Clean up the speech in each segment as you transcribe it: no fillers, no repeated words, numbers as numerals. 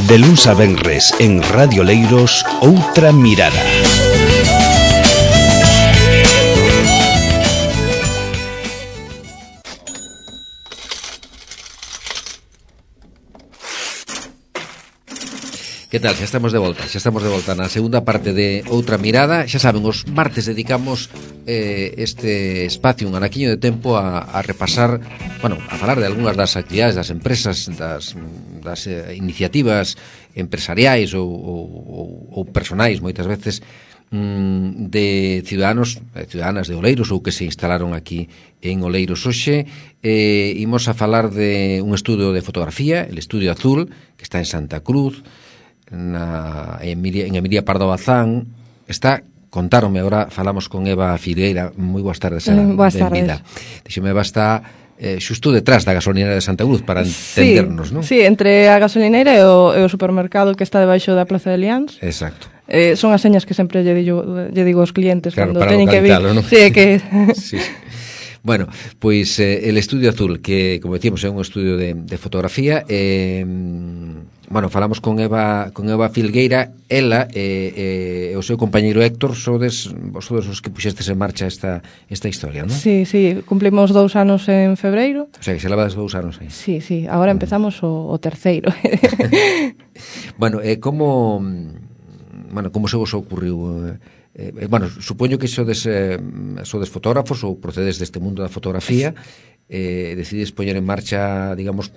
De luns a venres en Radio Leiros, Outra Mirada. Que tal? Xa estamos de volta na segunda parte de Outra Mirada. Xa saben, os martes dedicamos este espacio, un anaquiño de tempo a repasar, bueno, a falar de algunhas das actividades das empresas, das iniciativas empresariais ou personais, moitas veces, de ciudadanos e ciudadanas de Oleiros ou que se instalaron aquí en Oleiros. Hoxe imos a falar de un estudio de fotografía, el Estudio Azul, que está en Santa Cruz, en Emilia Pardo Bazán. Está, contáronme, agora falamos con Eva Filgueira. Moi boas tardes, boas tardes. Dixeme, Eva está xusto detrás da gasolineira de Santa Cruz, para entendernos, non? Sí, entre a gasolineira e o supermercado que está debaixo da Plaza de Liáns. Exacto. Son as señas que sempre lle digo aos clientes, claro, cando teñen que vir, ¿no? Sí, que sí. Bueno, pois el Estudio Azul, que, como decíamos, é un estudio de fotografía. Bueno, falamos con Eva Filgueira. Ela e o seu compañeiro Héctor sodes os que puxestes en marcha esta historia, non? Sí, cumplimos 2 anos en febreiro. O sea, que se levades 2 anos aí. Sí, agora empezamos o terceiro. Bueno, como se vos ocurriu? Bueno, supoño que sodes fotógrafos ou procedes deste mundo da fotografía. Decides poñer en marcha, digamos,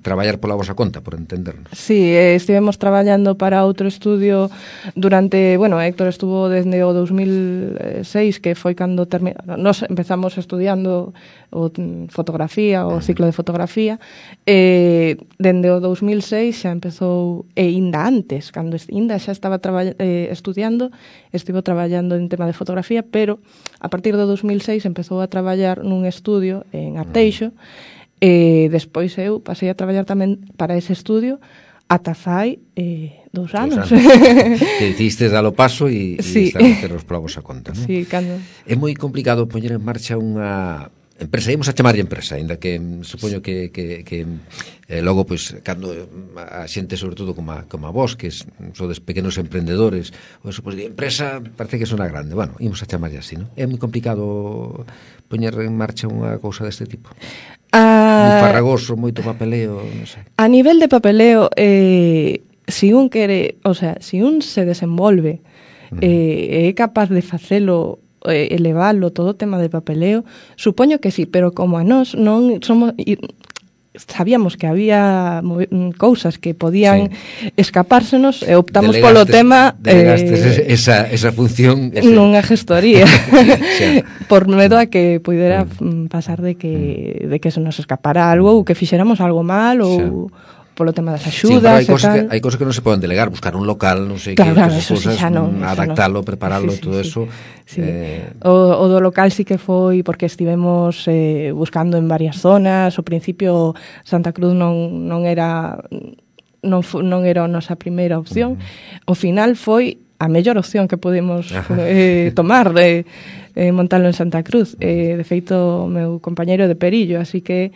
traballar pola vosa conta, por entendernos. Sí, estivemos traballando para outro estudio durante, bueno, Héctor estuvo desde o 2006, que foi cando nos empezamos estudiando fotografía, o ciclo de fotografía. Dende o 2006 xa empezou, e ainda antes, cando ainda xa estaba estudiando, estivo traballando en tema de fotografía, pero a partir do 2006 empezou a traballar nun estudio en Arteixo, e despois eu pasei a traballar tamén para ese estudio ata fai 2 anos. Que decidistes dalo paso e estar a meternos pola vosa conta, non? Sí, cando... É moi complicado poñer en marcha unha empresa, ímos a chamarlle empresa, ainda que supoño que logo, pois, cando a xente, sobre todo como a vos, que sodes pequenos emprendedores, ou eso, pois, de empresa parece que sona grande. Bueno, ímos a chamarlle así, non? É moi complicado poñer en marcha unha cousa deste tipo. Moi farragoso, moito papeleo, non sei. A nivel de papeleo, si un quere, o sea, si un se desenvolve é capaz de facelo, elevalo, todo o tema de papeleo, supoño que sí, pero como a nós non somos... Sabíamos que había cousas que podían escapársenos e optamos polo tema esa función nunha gestoría por medo a que pudera pasar de que se nos escapara algo ou que fixéramos algo mal ou polo tema das axudas e tal. Hai cousas que non se poden delegar, buscar un local, non sei claro, que cousas, adaptalo, preparalo, todo eso. Sí. O do local sí que foi porque estivemos buscando en varias zonas. Ao principio Santa Cruz non era a nosa primeira opción. Ao final foi a mellor opción que podemos tomar de montalo en Santa Cruz. De feito, o meu compañeiro de Perillo, así que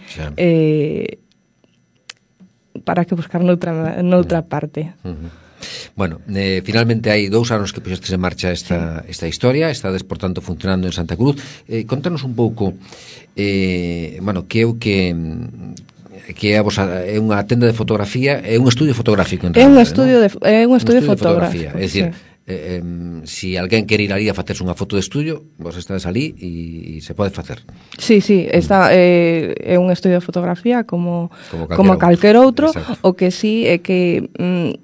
para que buscar noutra parte. Bueno, finalmente hai 2 anos que puxestes en marcha esta historia. Estades, por tanto, funcionando en Santa Cruz. Contanos un pouco, bueno, que é o que é unha tenda de fotografía, é un estudio fotográfico en realidad, é un estudio fotográfico. É dicir, si alguén quere ir ali a facerse unha foto de estudio, vos estades ali e se pode facer. Sí, está, é un estudio de fotografía como calquer outro. Exacto. O que sí é que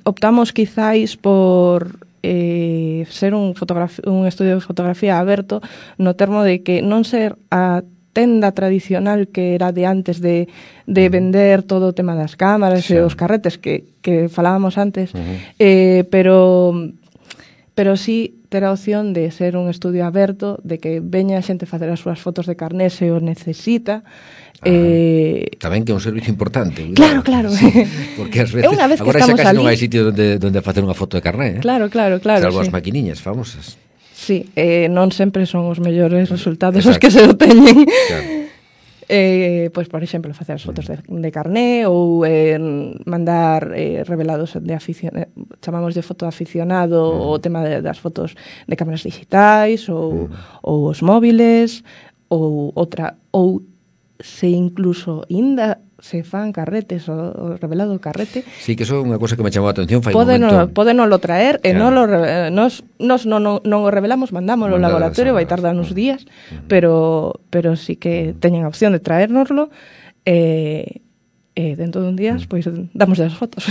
optamos quizáis por ser un estudio de fotografía aberto, no termo de que non ser a tenda tradicional que era de antes de vender todo o tema das cámaras e os carretes que falábamos antes, pero sí ter a opción de ser un estudio aberto, de que veña a xente facer as súas fotos de carné se o necesita. Tamén que é un servicio importante. Claro. Sí, porque ás veces, agora xa casi non hai sitio onde facer unha foto de carné. Claro. Salvo as maquiniñas famosas. Sí, non sempre son os mellores resultados os que se obteñen. Claro. Pois, por exemplo, facer as fotos de carné ou mandar revelados de aficionado, chamamos de foto aficionado o tema das fotos de cámaras digitais ou os móviles ou se incluso ainda se fan carretes o revelado carrete. Sí, que eso é unha cosa que me chamou a atención fai un momento. Pódenolo traer e non o revelamos, mandámoslo ao laboratorio, vai tardar uns días, pero sí que teñen a opción de traérnoslo dentro dun días, pois damos as fotos.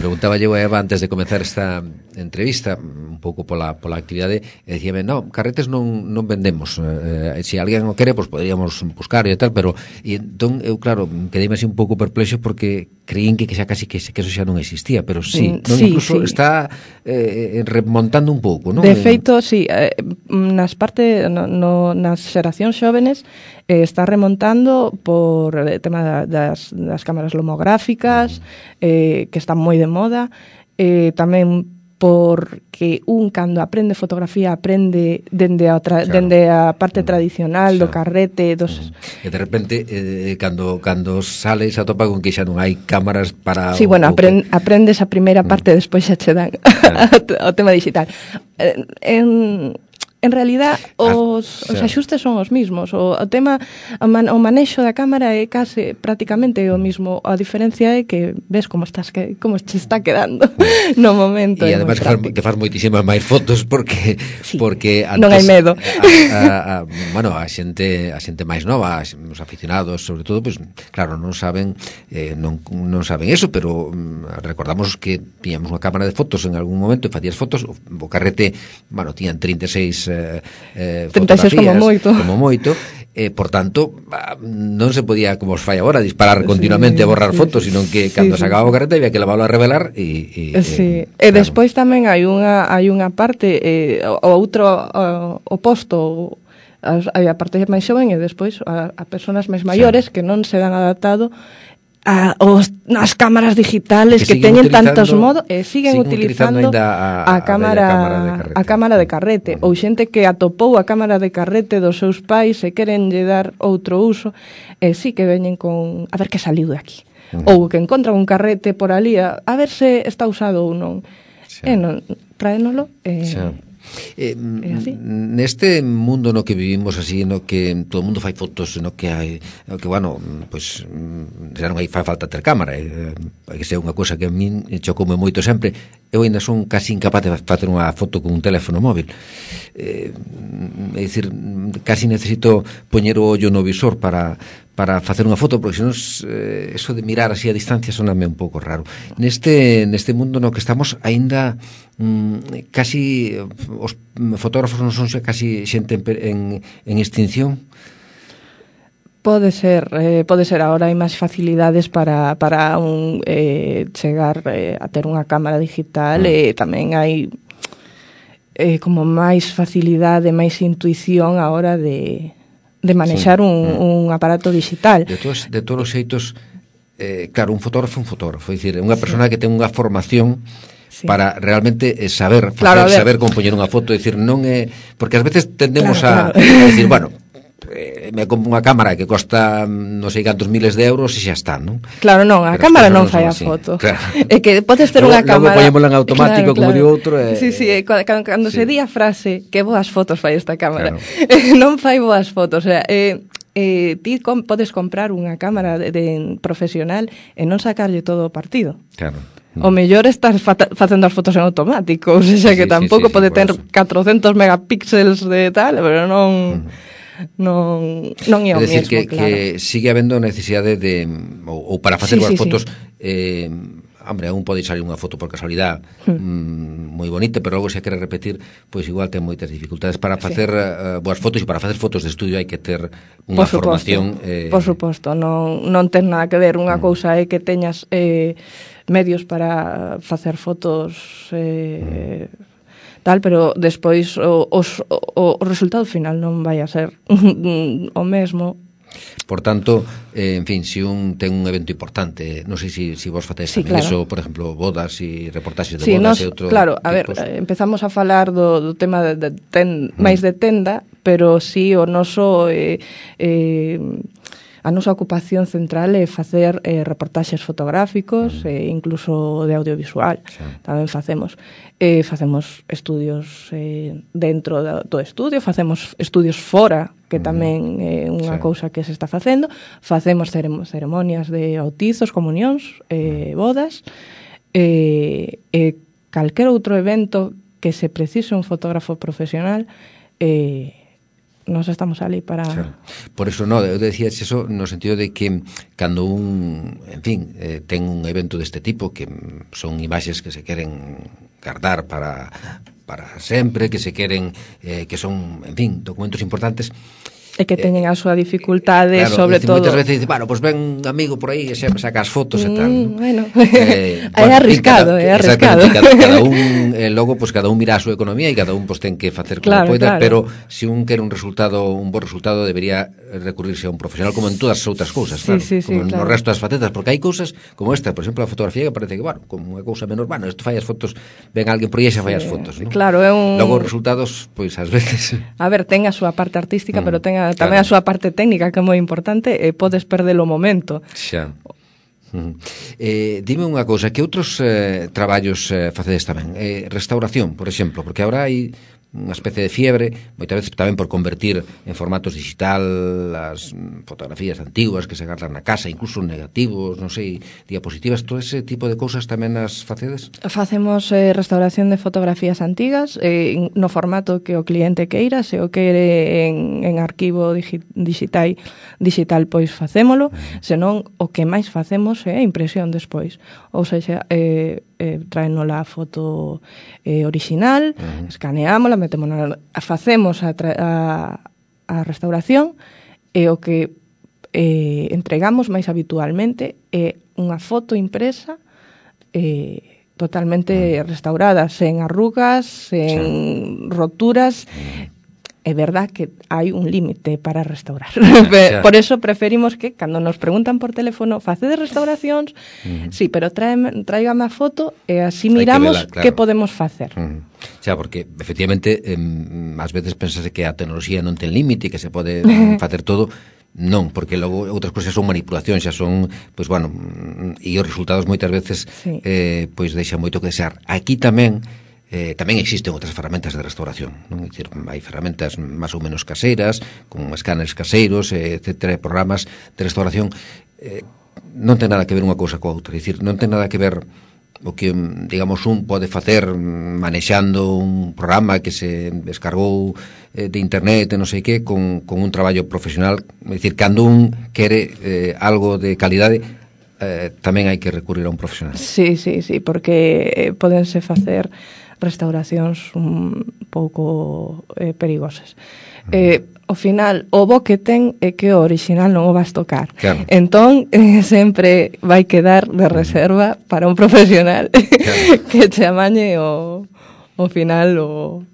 Preguntaba eu a Eva antes de comezar esta entrevista un pouco pola actividade e dicíame, no, carretes non vendemos, se alguén o quere, pois poderíamos buscar e tal, pero entón eu claro, quedeime así un pouco perplexo porque creín que xa casi que eso xa non existía, pero incluso está remontando un pouco, non? De feito, sí, nas xeracións xóvenes está remontando por o tema das cámaras lomográficas, que están moi de moda, tamén porque cando aprende fotografía aprende dende a parte tradicional do carrete e de repente cando sale se atopa con que xa non hai cámaras para aprendes a primeira parte despois xa che dan o tema digital. En realidad os axustes son os mismos, o tema o manexo da cámara é case prácticamente o mismo, a diferencia é que ves como te está quedando no momento. E además que faz moitísimas máis fotos porque antes, non hai medo. A xente máis nova, os aficionados, sobre todo, pues claro, non saben eso, pero recordamos que tiñamos unha cámara de fotos en algún momento e facías fotos, o carrete, tiñan 36 36 como moito, por tanto non se podía, como os fai agora, disparar continuamente e borrar fotos, sino que cando se acababa o carrete había que leválo a revelar e despois tamén hai unha parte o outro oposto, hai a parte máis xoven e despois a persoas máis maiores que non se dan adaptado as cámaras digitales que teñen tantos modos e siguen utilizando a cámara de carrete ou xente que atopou a cámara de carrete dos seus pais e queren lle dar outro uso e sí que veñen con a ver que saliu de aquí ou que encontran un carrete por ali a ver se está usado ou non e non, tráenolo neste mundo no que vivimos así, no que todo o mundo fai fotos, no que hai pois xa non hai falta ter cámara, que ser unha cousa que a min chocoume moito sempre. Eu ainda son casi incapaz de facer unha foto con un teléfono móvil, é dicir, casi necesito poñer o ollo no visor para facer unha foto, porque senón eso de mirar así a distancia soname un pouco raro. Neste mundo no que estamos aínda casi os fotógrafos non son casi xente en extinción. Pode ser agora hai máis facilidades para chegar a ter unha cámara digital e tamén hai como máis facilidade, máis intuición a hora de manexar un aparato digital. De todos os xeitos, claro, un fotógrafo, é dicir, unha persona que ten unha formación para realmente saber compoñer unha foto, é dicir, non é, porque ás veces tendemos a decir, me compro unha cámara que costa non sei cantos miles de euros e xa está, non? Claro, non, a cámara non fai a foto. É que podes ter unha cámara... Logo poñémola en automático, como digo outro... Sí, cando se di a frase que boas fotos fai esta cámara, non fai boas fotos, o sea, ti podes comprar unha cámara de profesional e non sacarlle todo o partido. Claro. O mellor estás facendo as fotos en automático, ou seja, que tampouco pode ter 400 megapíxeles de tal, pero non é o mesmo, claro. Que sigue habendo necesidade de ou para facer boas fotos aún pode salir unha foto por casualidade moi bonita, pero logo se quere repetir, pois igual ten moitas dificultades para facer boas fotos, e para facer fotos de estudio hai que ter unha formación por suposto, non ten nada que ver. Unha cousa é que teñas medios para facer fotos tal, pero despois o resultado final non vai a ser o mesmo. Por tanto, en fin, se un ten un evento importante, non sei se vos fatéis tamén eso, por exemplo, bodas e reportaxes de bodas e outro. Claro, a ver, empezamos a falar do tema máis de tenda, pero si o noso a nosa ocupación central é facer reportaxes fotográficos e incluso de audiovisual. Tamén facemos estudios dentro do estudio, facemos estudios fora, que tamén é unha cousa que se está facendo. Facemos ceremonias de bautizos, comunións, bodas, calquer outro evento que se precise un fotógrafo profesional, nos estamos ali para... Claro. Por eso, no, eu decía eso no sentido de que cando en fin, ten un evento deste tipo, que son imaxes que se queren guardar para sempre, que se queren, que son, en fin, documentos importantes, e que teñen a súa dificultade, claro, sobre todo... Moitas veces dice, bueno, pues ven un amigo por aí e sempre saca as fotos e tal. Bueno, é arriscado, é arriscado. Cada un, logo, pues cada un mira a súa economía e cada un pues ten que facer como poida, pero se un quere un bo resultado, debería recurrirse a un profesional, como en todas as outras cousas, claro, como no resto das facetas, porque hai cousas como esta, por exemplo, a fotografía, que parece que, bueno, como unha cousa menor, bueno, isto fai as fotos, ven alguén por aí e xa fai as fotos, ¿no? Claro, é un... Logo os resultados, pois, ás veces... A ver, ten a súa parte artística, pero ten tamén a súa parte técnica, que é moi importante, e podes perder o momento. Xa. Dime unha cousa, que outros traballos facedes tamén? Restauración, por exemplo, porque agora hai unha especie de fiebre, moitas veces tamén por convertir en formatos digital as fotografías antiguas que se guardan na casa, incluso negativos, non sei, diapositivas, todo ese tipo de cousas tamén as facedes? Facemos restauración de fotografías antigas no formato que o cliente queira, se o quere en arquivo digital, pois facémolo, senón o que máis facemos é a impresión despois, ou seja, traénola a foto original, escaneámola, facemos a restauración, e o que entregamos máis habitualmente é unha foto impresa totalmente restaurada, sen arrugas, sen roturas. É verdad que hai un límite para restaurar. Por eso preferimos que, cando nos preguntan por teléfono, facedes restauracións? Sí, pero tráigame a foto e así miramos que podemos facer. Xa, porque, efectivamente, ás veces pensase que a tecnoloxía non ten límite, que se pode facer todo. Non, porque logo outras cousas son manipulacións, xa son, pois, bueno, e os resultados moitas veces pois deixan moito que desear. Aquí tamén existen outras ferramentas de restauración, non? É dicir, hai ferramentas máis ou menos caseiras, con escáneres caseiros, etcétera, programas de restauración. Non ten nada que ver unha cousa coa outra, é dicir, non ten nada que ver o que, digamos, un pode facer manexando un programa que se descargou de internet, non sei que, con un traballo profesional. É dicir, cando un quere algo de calidade, tamén hai que recurrir a un profesional. Sí, porque podense facer restauracións un pouco perigosas. Ao final, o bo que ten é que o original non o vas tocar. Claro. Entón, sempre vai quedar de reserva para un profesional que te amañe o final o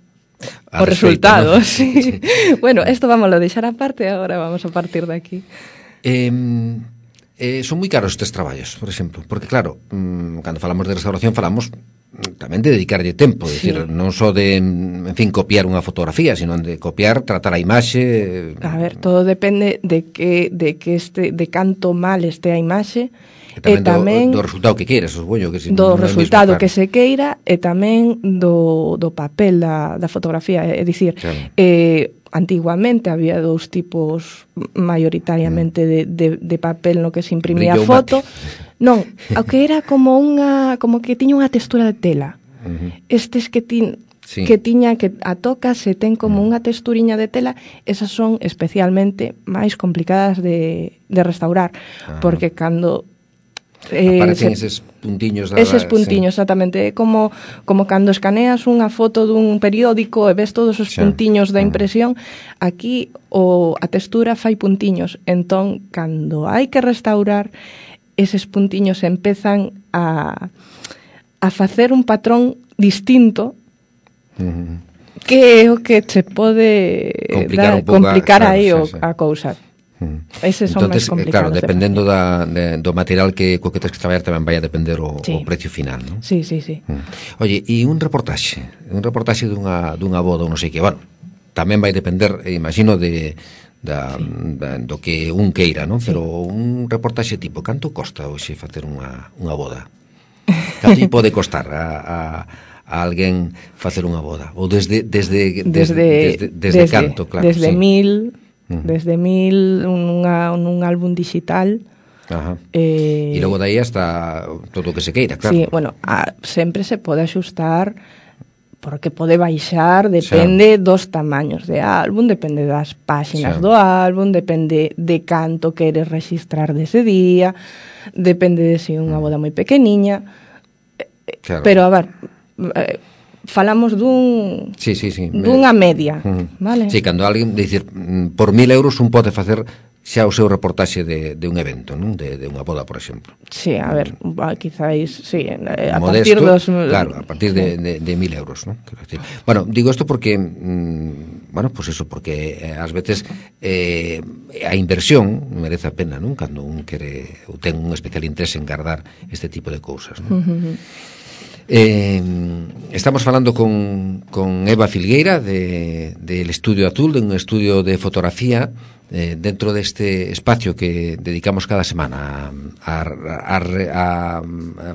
resultado. ¿No? Sí. Bueno, esto vamos a deixar aparte, agora vamos a partir de aquí. Son moi caros estes traballos, por exemplo, porque claro, cando falamos de restauración falamos tamén de dedicarlle tempo, é dicir, non só de, en fin, copiar unha fotografía, sino de copiar, tratar a imaxe. A ver, todo depende de canto mal este a imaxe, e tamén do resultado que queiras, supoño que do resultado que se queira, e tamén do papel da fotografía, é dicir, antiguamente había dous tipos maioritariamente de papel no que se imprimía a foto. Non, o que era como que tiña unha textura de tela. Estes que tiña que a toca se ten como unha texturiña de tela, esas son especialmente máis complicadas de restaurar, porque cando aparecen eses puntiños exactamente, como cando escaneas unha foto dun periódico e ves todos os puntiños da impresión, aquí a textura fai puntiños, entón cando hai que restaurar, eses puntiños empezan a facer un patrón distinto, que é o que se pode complicar aí a cousa. Eses son máis complicados. Claro, dependendo do material co que tens que traballar, tamén vai a depender o precio final, non? Sí. Oye, e un reportaxe dunha boda ou non sei que, bueno, tamén vai depender, imagino, de do que un queira, non? Pero un reportaxe tipo, canto costa hoxe facer unha boda? Canto pode costar a alguén facer unha boda? Ou desde canto, claro. Desde 1000 un álbum digital. Ajá. E logo dai hasta todo o que se queira, claro. Sí, bueno, sempre se pode axustar porque pode baixar, depende dos tamaños de álbum, depende das páxinas do álbum, depende de canto queres registrar dese día, depende de se unha boda moi pequeniña. Claro. Pero, a ver, falamos dunha media, vale? Sí, cando alguén, dicir, por 1000 euros un pode facer xa o seu reportaxe de un evento, non? De unha boda, por exemplo. Sí, a ver, quizáis, sí, a modesto, partir dos... Claro, a partir de 1000 euros, non? Bueno, digo isto porque, bueno, pues eso, porque ás veces a inversión merece a pena, non? Cando un quere, ou ten un especial interese en guardar este tipo de cousas, non? Estamos falando con Eva Filgueira del Estudio Azul, de un estudio de fotografía dentro deste espacio que dedicamos cada semana a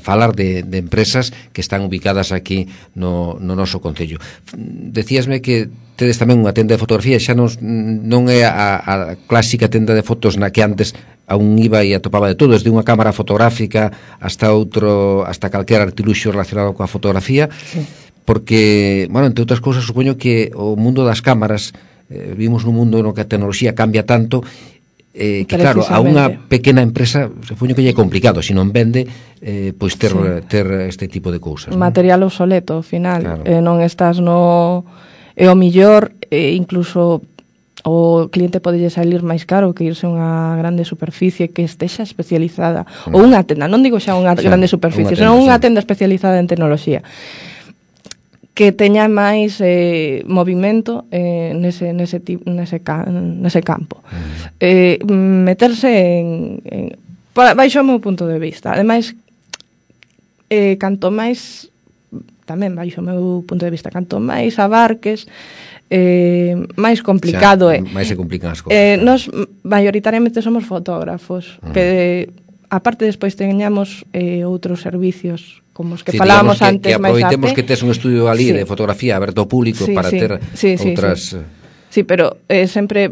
falar de empresas que están ubicadas aquí no noso concello. Decíasme que tedes tamén unha tenda de fotografía, xa non é a clásica tenda de fotos na que antes a un iba e atopaba de todo, desde unha cámara fotográfica hasta calquera artiluxo relacionado coa fotografía, porque, bueno, entre outras cousas, supoño que o mundo das cámaras, vivimos nun mundo no que a tecnoloxía cambia tanto, que claro, a unha pequena empresa supoño que lle é complicado, se non vende, pois ter este tipo de cousas. Material obsoleto, ao final, claro. Non estás no... E o millor, incluso... o cliente podelle salir máis caro que irse a unha grande superficie que estexa especializada, ou unha tenda, non digo xa unha grande superficie, senón unha tenda especializada en tecnoloxía que teña máis movimento nese campo. Meterse baixo o meu punto de vista. Ademais, canto máis, tamén baixo o meu punto de vista, canto máis abarques, máis complicado é. Máis se complican as cousas. Nos maioritariamente somos fotógrafos, que aparte despois teñamos outros servicios como os que falábamos antes, que aproveitemos que tes un estudio ali de fotografía aberto ao público para ter outras... Sí, pero sempre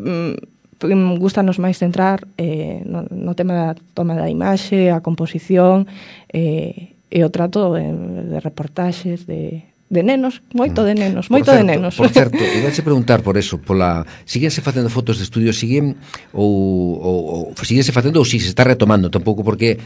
gustanos máis centrar no tema da toma da imaxe, a composición e o trato de reportaxes, de nenos, moito de nenos. Por certo, ibache preguntar por eso, síguense facendo fotos de estudio, síguense facendo ou si se está retomando, tampouco porque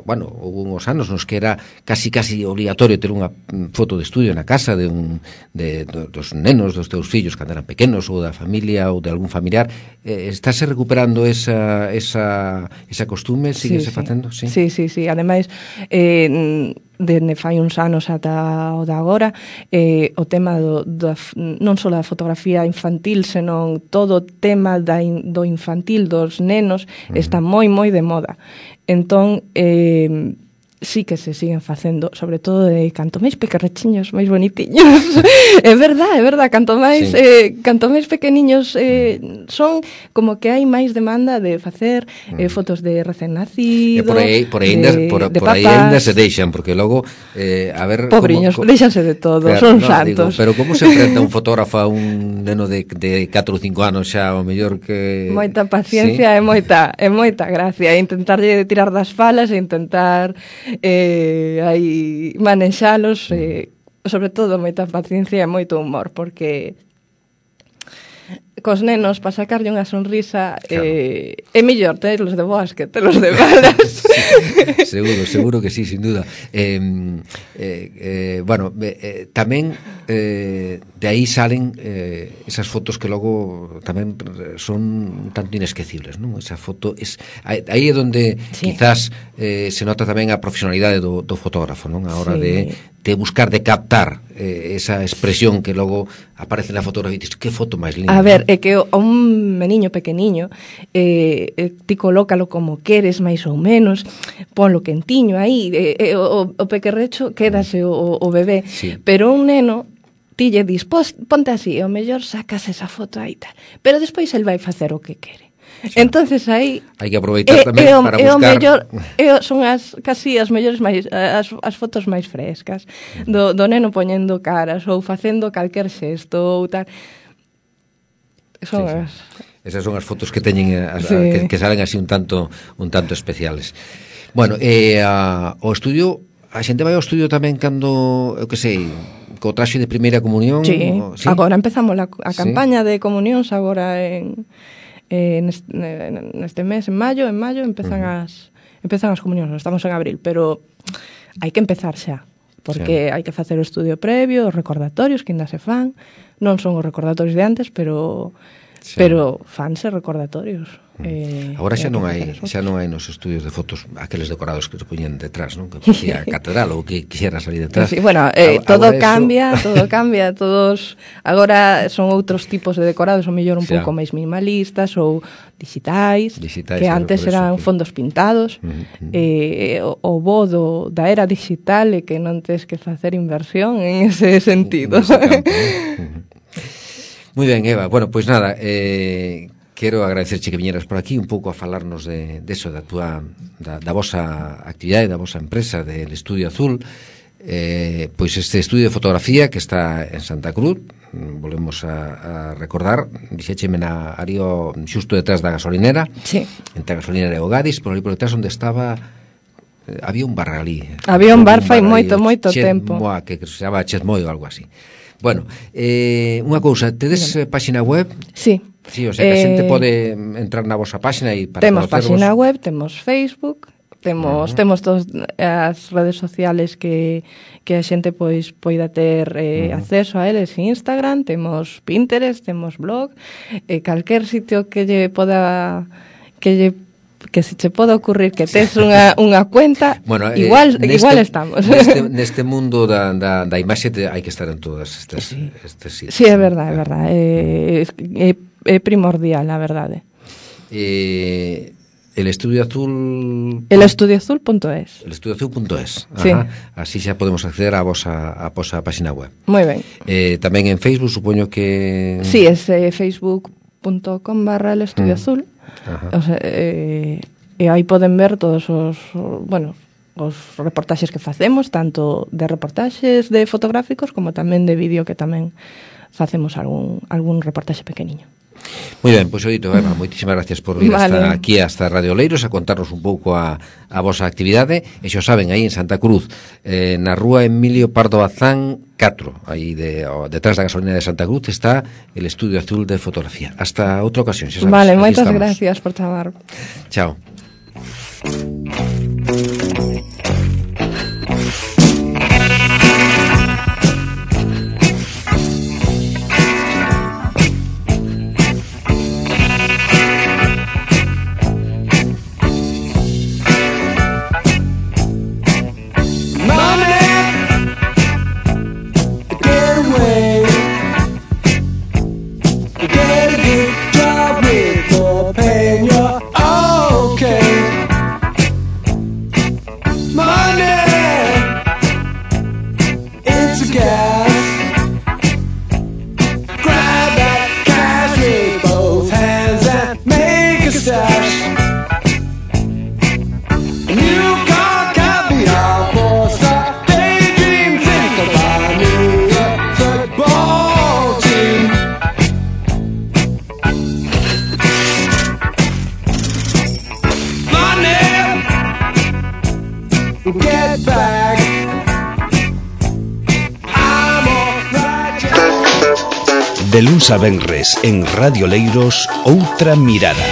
bueno, houve uns anos nos que era casi obligatorio ter unha foto de estudio na casa dos nenos, dos teus fillos cando eran pequenos, ou da familia ou de algún familiar. Estáse recuperando esa costume, síguense facendo? Sí. Ademais, dende fai uns anos ata o de agora, o tema non só da fotografía infantil, senón todo o tema do infantil, dos nenos, está moi de moda. Entón, sí que se siguen facendo, sobre todo de canto máis pequerrechiños, máis bonitiños. É verdad, canto máis pequeniños son, como que hai máis demanda de facer fotos de recén nacido, por aí ainda se deixan, porque logo a ver... Pobriños, deixanse de todo, claro, son santos. Pero como se enfrenta un fotógrafo a un neno de 4 ou 5 anos xa, o mellor que... Moita paciencia e moita gracia, intentarlle tirar das falas e intentar aí manexalos, sobre todo moita paciencia e moito humor, porque cos nenos para sacarlle unha sonrisa, claro. É mellor telos de boas que telos de malas. Seguro que sí, sin duda. Bueno, tamén de aí salen esas fotos que logo tamén son tanto inesquecibles, non? Esa foto aí é onde quizás se nota tamén a profesionalidade do fotógrafo, non? A hora de buscar, de captar esa expresión que logo aparece na fotografía e dices, que foto máis linda. A ver, é que un meniño pequeniño ti colócalo como queres, máis ou menos, ponlo quentiño aí, o pequerrecho quédase o bebé, pero un neno ti lle dis, ponte así, o mellor sacas esa foto aí tal. Pero despois el vai facer o que quere. Sí. Entonces aí hai que aproveitar tamén para buscar. O mellor, son casi as mellores máis as fotos máis frescas do neno poñendo caras ou facendo calquer xesto ou tal. Son sí. Esas son as fotos que teñen que salen así un tanto especiales. Bueno, o estudio, a xente vai ao estudio tamén cando, eu que sei, co traxe de primeira comunión. Sí, agora empezamos a campaña de comunións agora neste mes, en maio empezan as comunións, estamos en abril, pero hai que empezar xa, porque hai que facer o estudio previo, os recordatorios que ainda se fan, non son os recordatorios de antes, pero fanse recordatorios. Agora xa non hai nos estudios de fotos aqueles decorados que se poñen detrás, non? Que facía a catedral ou que quixera salir detrás. Sí, bueno, todo cambia, todos agora son outros tipos de decorados, ou mellor un pouco máis minimalistas ou digitais que antes eran fondos pintados. O bo da era digital é que non tes que facer inversión en ese sentido. Moi ben, Eva. Bueno, pois nada, quero agradecerche que viñeras por aquí un pouco a falarnos de eso, da vosa actividade, da vosa empresa del Estudio Azul, pois este estudio de fotografía que está en Santa Cruz, volvemos a recordar, dixécheme na área xusto detrás da gasolinera, entre a gasolinera e o Gadis, por ali por detrás onde estaba, había un bar ali. Había un bar fai moito tempo. Que se chama Chetmoy ou algo así. Bueno, unha cousa, tedes páxina web? Sí. Sí, o sea, que a xente pode entrar na vosa páxina e para temos páxina web, temos Facebook, temos todas as redes sociales que a xente poida ter acceso a eles, Instagram, temos Pinterest, temos blog, calquer sitio que se che poda ocurrir que tes unha cuenta, bueno, igual estamos. Neste mundo da imaxe hai que estar en todas estes sitios. Sí, é verdade, é primordial, a verdade. El Estudio Azul... elestudioazul.es. elestudioazul.es. Sí. Así xa podemos acceder á vosa página web. Moi ben. Tamén en Facebook, supoño que... Sí, é facebook.com/elestudioazul. O sea, e aí poden ver todos os reportaxes que facemos, tanto de reportaxes de fotográficos como tamén de vídeo, que tamén facemos algún reportaxe pequeniño. Moi ben, pois oito, Eva, moitísimas gracias por vir hasta Radio Oleiros a contarnos un pouco a vosa actividade, e xa saben, aí en Santa Cruz, na rúa Emilio Pardo Bazán 4, aí detrás da gasolina de Santa Cruz está el Estudio Azul de Fotografía. Hasta outra ocasión, xa sabes. Vale, moitas gracias por chamar. Chao. De luns a venres en Radio Leiros, Outra Mirada.